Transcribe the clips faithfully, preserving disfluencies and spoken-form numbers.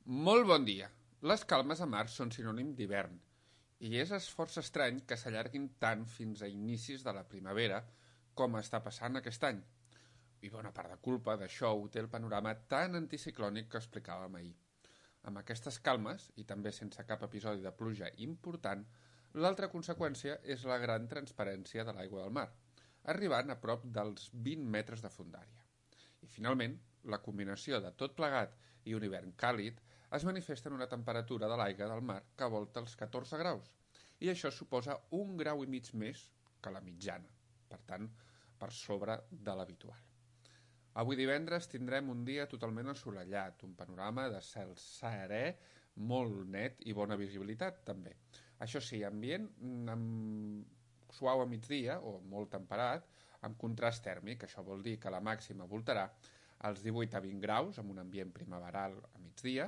Molt bon dia. Les calmes a mar són sinònim d'hivern, i és força estrany que s'allarguin tant fins a inicis de la primavera, com està passant aquest any. I bona part de culpa d'això ho té el panorama tan anticiclònic que explicàvem ahir. Amb aquestes calmes, i també sense cap episodi de pluja important, l'altra conseqüència és la gran transparència de l'aigua del mar, arribant a prop dels vint metres de fondària. I finalment, la combinació de tot plegat i un hivern càlid es manifesta en una temperatura de l'aigua del mar que volta els catorze graus, i això suposa un grau i mig més que la mitjana, per tant, per sobre de l'habitual. Avui divendres tindrem un dia totalment assolellat, un panorama de cel serè, molt net i bona visibilitat també. Això sí, ambient amb suau a migdia o molt temperat, amb contrast tèrmic, això vol dir que la màxima voltarà als divuit a vint graus, amb un ambient primaveral a migdia.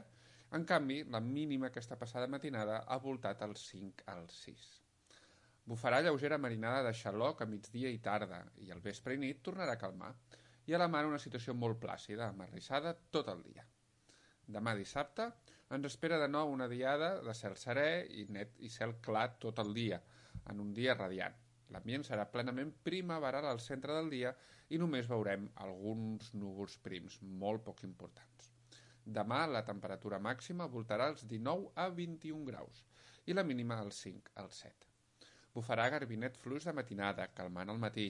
En canvi, la mínima aquesta passada matinada ha voltat als cinc als sis. Bufarà lleugera marinada de xaloc a migdia i tarda, i al vespre i nit tornarà a calmar, i a la mar una situació molt plàcida, amarrissada tot el dia. Demà dissabte ens espera de nou una diada de cel serè i net i cel clar tot el dia, en un dia radiant. L'ambient serà plenament primaveral al centre del dia i només veurem alguns núvols prims molt poc importants. Demà la temperatura màxima voltarà als dinou a vint-i-un graus i la mínima als cinc als set. Bufarà garbinet fluix de matinada, calmant al matí.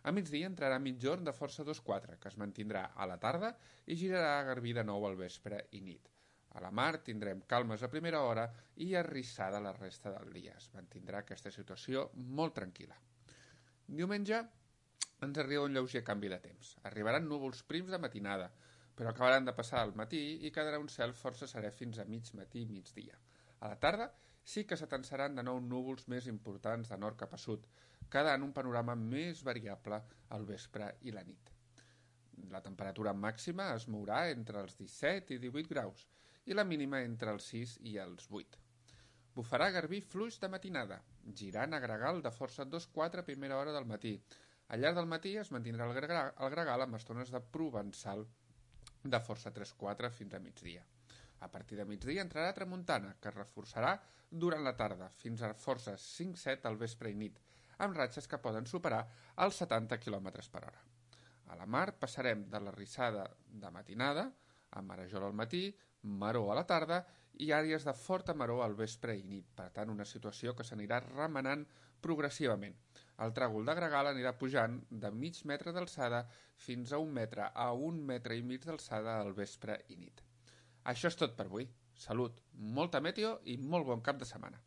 A migdia entrarà mitjorn de força dos quatre, que es mantindrà a la tarda i girarà a garbí de nou al vespre i nit. A la mar tindrem calmes a primera hora i arrissada la resta del dia. Es mantindrà aquesta situació molt tranquil·la. Diumenge ens arriba un lleuger canvi de temps. Arribaran núvols prims de matinada, però acabaran de passar al matí i quedarà un cel força serè fins a mig matí i migdia. A la tarda sí que s'atansaran de nou núvols més importants de nord cap a sud, quedant un panorama més variable al vespre i la nit. La temperatura màxima es mourà entre els disset i divuit graus i la mínima entre els sis i els vuit. Bufarà garbí fluix de matinada, girant a gregal de força dos quatre a primera hora del matí. Al llarg del matí es mantindrà el gregal, el gregal amb estones de provençal de força tres quatre fins a migdia. A partir de migdia entrarà tramuntana, que es reforçarà durant la tarda, fins a força cinc set al vespre i nit, amb ratxes que poden superar els setanta quilòmetres per hora. A la mar passarem de la rissada de matinada, a marejol al matí, maror a la tarda i àrees de forta maror al vespre i nit, per tant una situació que s'anirà remenant progressivament. El tràgol de gregal anirà pujant de mig metre d'alçada fins a un metre a un metre i mig d'alçada al vespre i nit. Això és tot per avui. Salut, molta meteo i molt bon cap de setmana.